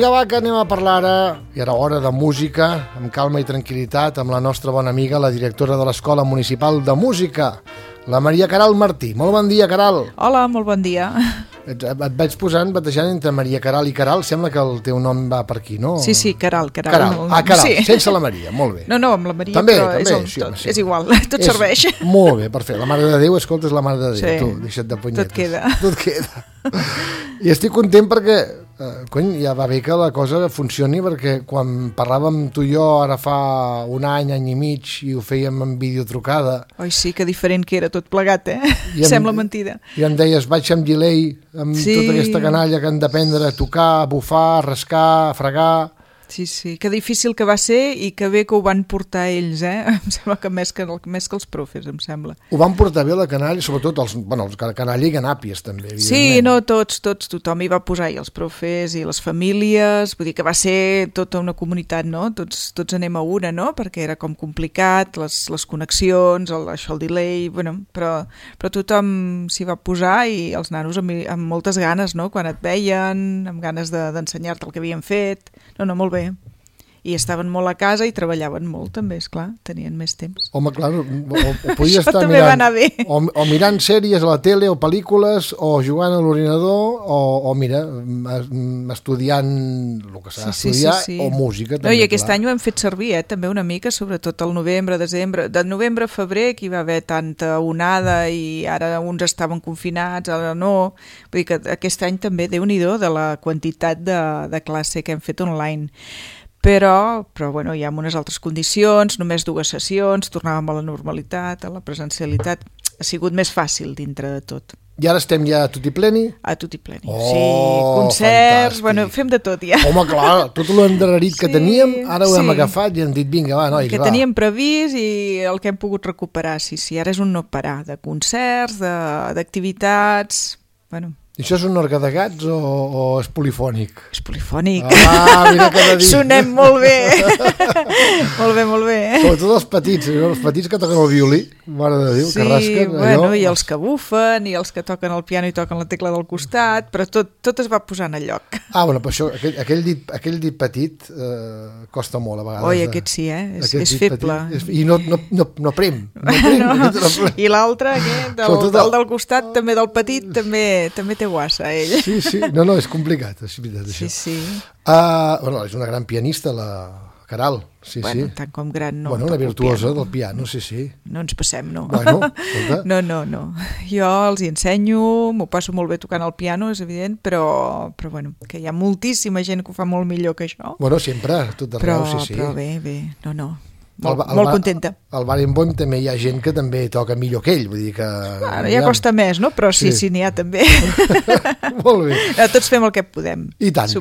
Vinga, va, que anem a parlar ara, i ara hora de música, amb calma i tranquil·litat, amb la nostra bona amiga, la directora de l'Escola Municipal de Música, la Maria Queralt Martí. Molt bon dia, Queralt. Hola, molt bon dia. Et vaig batejant entre Maria Queralt i Queralt, sembla que el teu nom va per aquí, no? Sí, Queralt. Queralt, Queralt, sí. Sense la Maria, molt bé. No, amb la Maria, també, però també, és igual, tot serveix. Molt bé, perfecte. La Mare de Déu, escolta, és la Mare de Déu, sí. Tu, deixa't de punyetes. Tot queda. I estic content perquè, ja va bé que la cosa funcioni, perquè quan parlàvem tu i jo ara fa un any i mig i ho fèiem en videotrucada... Oi, sí, que diferent que era tot plegat, Sembla mentida. I em deies, vaig amb delay, amb tota aquesta canalla que han d'aprendre a tocar, a bufar, a rascar, a fregar... Sí, que difícil que va ser i que bé que ho van portar ells, Em sembla que més que els profes, em sembla. Ho van portar bé la canalla, sobretot els canalla i ganàpies, també, evidentment. Sí, no, tothom hi va posar, i els profes i les famílies, vull dir que va ser tota una comunitat, no? Tots anem a una, no? Perquè era com complicat, les connexions, això, el delay, però tothom s'hi va posar i els nanos amb moltes ganes, no? Quan et veien, amb ganes d'ensenyar-te el que havien fet, no, molt bé. I estaven molt a casa i treballaven molt també, esclar, tenien més temps. Home, clar, o podia estar també va anar bé. O mirant sèries a la tele o pel·lícules o jugant a l'ordinador o mira, estudiant el que s'ha d'estudiar o música també. No, i aquest any ho hem fet servir, també una mica, sobretot al novembre, desembre, de novembre a febrer que hi va haver tanta onada i ara uns estaven confinats, ara no, vull dir que aquest any també Déu-n'hi-do de la quantitat de classe que hem fet online. Però bueno, ja amb unes altres condicions, només 2 sessions, tornàvem a la normalitat, a la presencialitat. Ha sigut més fàcil dintre de tot. I ara estem ja a tutti pleni? A tutti pleni, sí. Concerts, fantàstic. Fem de tot ja. Home, clar, tot l'endarrerit que teníem, ara ho hem agafat i hem dit, vinga, va, nois, va. Que teníem previst i el que hem pogut recuperar, sí, ara és un no parar, de concerts, d'activitats, I això és un orgue de gats o és polifònic? És polifònic. Mira que dir. Sonem molt bé. molt bé. Sobretot els petits que toquen el violí, mare de Déu, que rasquen. I els que bufen, i els que toquen el piano i toquen la tecla del costat, però tot es va posant a lloc. Però això, aquell dit petit costa molt a vegades. Oi, aquest sí, és feble. I no prem. I l'altre, el del costat, també del petit, també té guassa, ell. Sí, no, és complicat, és veritat, això. Sí. És una gran pianista, la Queralt, sí. Tant com gran, no. Una virtuosa del piano, sí. No ens passem, no. Escolta. No. Jo els hi ensenyo, m'ho passo molt bé tocant el piano, és evident, però que hi ha moltíssima gent que ho fa molt millor que això. Sempre, tot arreu, sí. Però bé, no. Molt contenta. Al Barenboim també hi ha gent que també toca millor que ell, vull dir que... Ja costa més, no? Però sí, n'hi ha també. Molt bé. Tots fem el que podem. I tant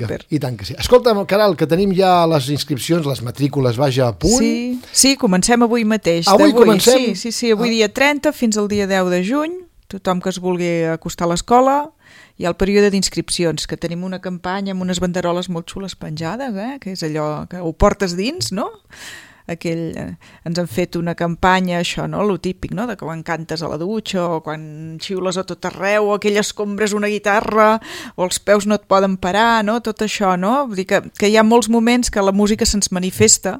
que sí. Escolta, Queralt, que tenim ja les inscripcions, les matrícules, vaja, a punt. Sí, comencem avui mateix. Avui comencem? Sí, avui dia 30 fins al dia 10 de juny. Tothom que es vulgui acostar a l'escola. Hi ha el període d'inscripcions, que tenim una campanya amb unes banderoles molt xules penjades, que és allò que ho portes dins, no? Ens han fet una campanya, això, no? Lo típic, no? De que quan cantes a la dutxa o quan xiules a tot arreu o aquell escombres una guitarra o els peus no et poden parar, no? Tot això, no? Vull dir que hi ha molts moments que la música se'ns manifesta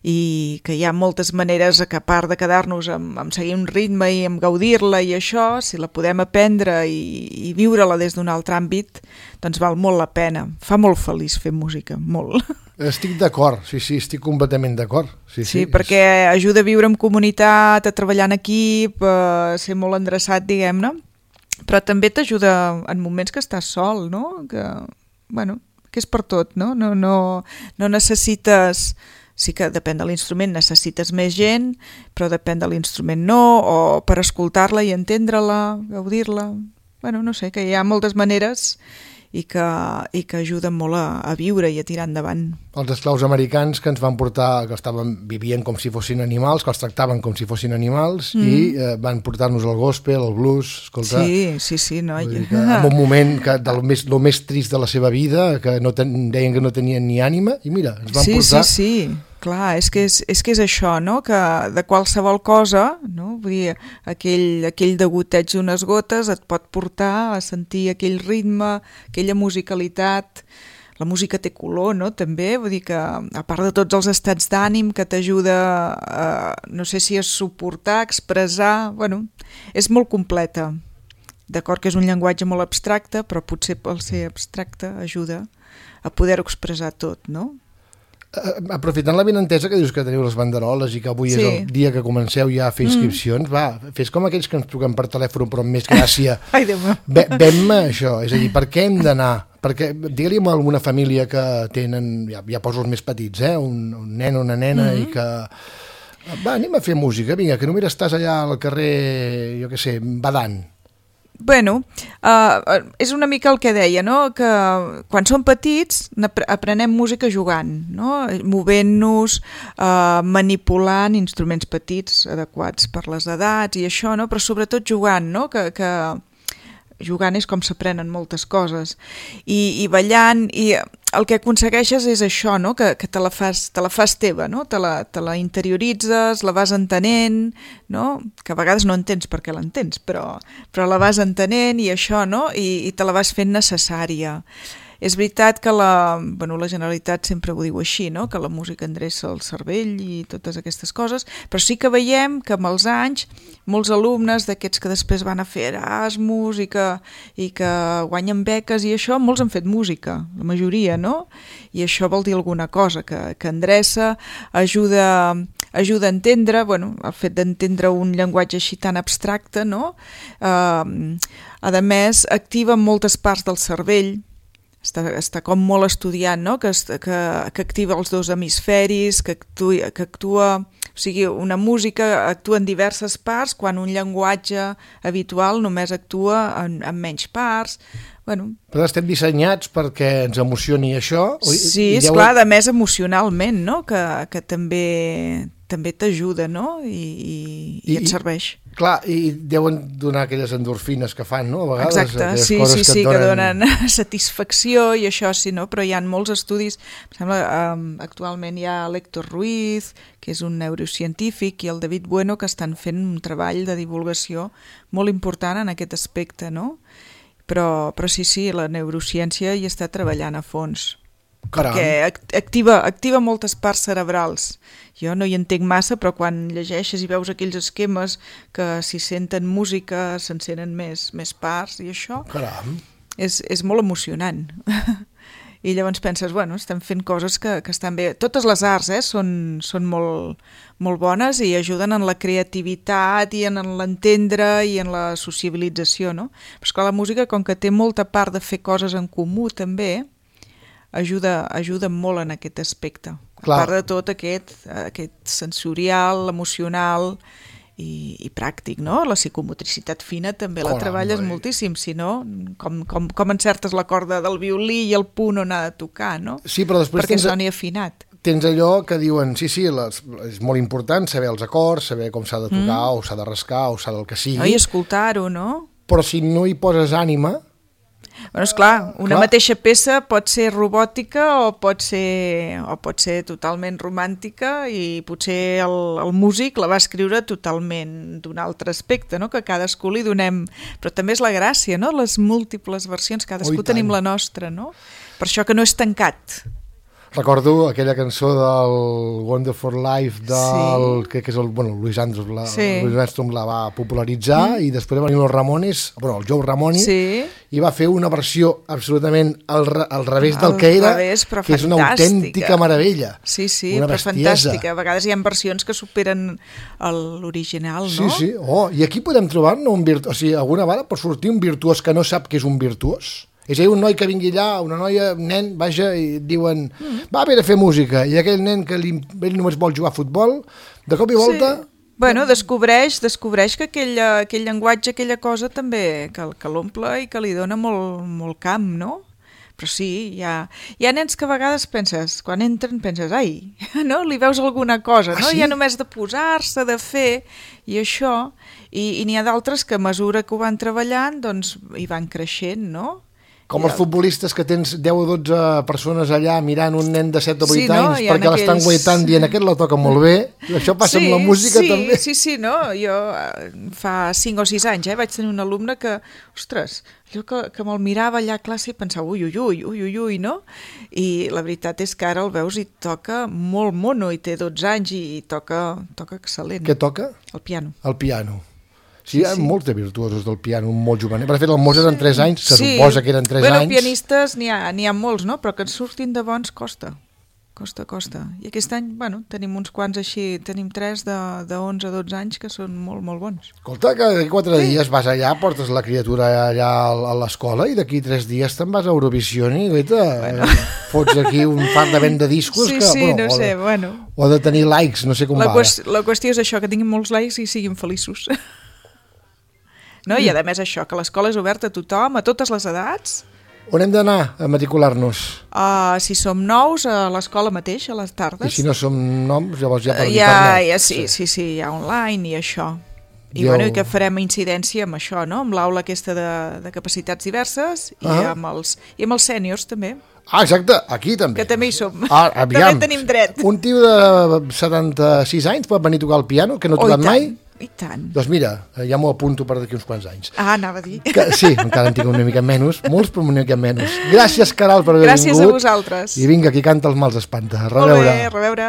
i que hi ha moltes maneres que a part de quedar-nos amb seguir un ritme i amb gaudir-la i això, si la podem aprendre i viure-la des d'un altre àmbit, doncs val molt la pena. Fa molt feliç fer música, molt. Estic d'acord, sí, estic completament d'acord. Sí, perquè ajuda a viure en comunitat, a treballar en equip, a ser molt endreçat, diguem-ne, però també t'ajuda en moments que estàs sol, no? Que és per tot, no? No necessites... Sí que depèn de l'instrument, necessites més gent, però depèn de l'instrument no, o per escoltar-la i entendre-la, gaudir-la... No sé, que hi ha moltes maneres i que ajuden molt a viure i a tirar endavant. Els esclaus americans que ens van portar, vivien com si fossin animals, que els tractaven com si fossin animals i van portar-nos el gospel, el blues, escolta... Sí, noi. En un moment del més trist de la seva vida, que deien que no tenien ni ànima, i mira, ens van portar... Sí. Clar, és que és això, no? Que de qualsevol cosa, no? Vull dir, aquell degoteig d'unes gotes et pot portar a sentir aquell ritme, aquella musicalitat, la música té color, no? També, vull dir que a part de tots els estats d'ànim que t'ajuda no sé si a suportar, expressar, bueno, és molt completa. D'acord que és un llenguatge molt abstracte, però potser pel ser abstracte ajuda a poder-ho expressar tot, no? Aprofitant l'avinentesa que dius que teniu les banderoles i que avui és el dia que comenceu ja a fer inscripcions, va, fes com aquells que ens truquen per telèfon, però amb més gràcia. Ai, Déu meu. Vam això, és a dir, per què hem d'anar? Perquè digue-li a alguna família que tenen, ja poso els més petits, un nen o una nena i que... Va, anem a fer música, vinga, que només estàs allà al carrer, jo què sé, badant. Bueno, és una mica el que deia, no? Que quan som petits aprenem música jugant, no? Movent-nos, manipulant instruments petits adequats per les edats i això, no? Però sobretot jugant, no? Que jugant és com s'aprenen moltes coses i ballant, i el que aconsegueixes és això, no? Que te la fas teva, no? Te la interioritzes, la vas entenent, no? Que a vegades no entens per què l'entens, però la vas entenent i això, no? I te la vas fent necessària. És veritat que la Generalitat sempre ho diu així, no? Que la música endreça el cervell i totes aquestes coses, però sí que veiem que amb els anys molts alumnes d'aquests que després van a fer Erasmus i que guanyen beques i això, molts han fet música, la majoria, no? I això vol dir alguna cosa, que endreça, ajuda a entendre, bueno, el fet d'entendre un llenguatge així tan abstracte, no? A més, activa moltes parts del cervell, està com molt estudiat, no? Que activa els dos hemisferis, que actua, o sigui, una música actua en diverses parts quan un llenguatge habitual només actua en menys parts. Bueno. Però estem dissenyats perquè ens emocioni això? Sí, esclar, a més emocionalment, no? Que també t'ajuda, no? I et serveix. Clar, i deuen donar aquelles endorfines que fan, no? A vegades. Exacte, sí, que donen satisfacció i això, sí, no? Però hi ha molts estudis, em sembla, actualment hi ha l'Héctor Ruiz, que és un neurocientífic, i el David Bueno, que estan fent un treball de divulgació molt important en aquest aspecte, no? Però sí, la neurociència hi està treballant a fons. Caram. Perquè activa moltes parts cerebrals. Jo no hi entenc massa, però quan llegeixes i veus aquells esquemes que si senten música s'encenen més parts i això, caram, és molt emocionant. I llavors penses, bueno, estem fent coses que estan bé. Totes les arts són molt, molt bones i ajuden en la creativitat i en l'entendre i en la sociabilització, no? Però és que la música, com que té molta part de fer coses en comú també, ajuda molt en aquest aspecte. Clar. A part de tot aquest sensorial, emocional i pràctic, no? La psicomotricitat fina també la treballes moltíssim, si no, com encertes la corda del violí i el punt on ha de tocar, no? Sí, però després perquè soni afinat. Tens allò que diuen, sí, és molt important saber els acords, saber com s'ha de tocar, o s'ha de rascar, o s'ha del que sigui. I escoltar-ho, no? Però si no hi poses ànima... Bueno, esclar, una mateixa peça pot ser robòtica o pot ser totalment romàntica i potser el músic la va escriure totalment d'un altre aspecte, no? Que cadascú li donem... Però també és la gràcia, no? Les múltiples versions, cadascú tenim la nostra, no? Per això que no és tancat. Recordo aquella cançó del Wonderful Life que és el Louis Armstrong la va popularitzar i després va venir el Ramones, el Joe Ramone, i va fer una versió absolutament al revés del que era, que és una autèntica meravella. Sí, però fantàstica. A vegades hi ha versions que superen l'original, no? Sí. I aquí podem trobar-ne un virtuós, o sigui, alguna vegada pot sortir un virtuós que no sap que és un virtuós. És a dir, un noi que vingui allà, una noia, un nen, vaja, i diuen, va haver de fer música, i aquell nen que ell només vol jugar a futbol, de cop i volta... Bueno, descobreix que aquell llenguatge, aquella cosa també, que l'omple i que li dona molt camp, no? Però sí, hi ha nens que a vegades penses, quan entren penses, ai, no? Li veus alguna cosa, no? Ja només de posar-se, de fer, i això, i n'hi ha d'altres que a mesura que ho van treballant, doncs hi van creixent, no? Com els futbolistes que tens 10 o 12 persones allà mirant un nen de 7 o 8 anys perquè l'estan guaitant dient aquest la toca molt bé Això passa amb la música també. Sí, no? Jo fa 5 o 6 anys vaig tenir un alumne que, ostres, allò que me'l mirava allà a classe i pensava ui, no? I la veritat és que ara el veus i toca molt mono, i té 12 anys i toca excel·lent. Què toca? El piano. El piano. Sí, hi ha molts de virtuosos del piano, molt juvenil. Per fet, el Mozart en 3 anys, se suposa que eren 3 anys. Pianistes n'hi ha molts, no? Però que en surtin de bons costa. Costa. I aquest any, tenim uns quants així, tenim 3 de 11 a 12 anys que són molt, molt bons. Escolta, que d'aquí 4 dies vas allà, portes la criatura allà a l'escola i d'aquí 3 dies te'n vas a Eurovision i fots aquí un fart de vent de discos o de tenir likes, no sé com va. La qüestió és això, que tinguin molts likes i siguin feliços. No? I a més això, que l'escola és oberta a tothom, a totes les edats. On hem d'anar a matricular-nos? Si som nous, a l'escola mateix, a les tardes. I si no som nous, llavors ja per internet. Sí, hi ha online i això. I que farem incidència amb això, no? Amb l'aula aquesta de capacitats diverses i amb els sèniors també. Exacte, aquí també. Que també hi som. Aviam, també tenim dret. Un tio de 76 anys pot venir a tocar el piano, que no ha tocat mai? I tant. Doncs mira, ja m'ho apunto per d'aquí uns quants anys. Anava a dir. Sí, encara en tinc una mica menys, molts però una mica menys. Gràcies, Caral, per haver vingut. Gràcies a vosaltres. I vinga, qui canta els mals espanta. A reveure. Molt bé, a reveure.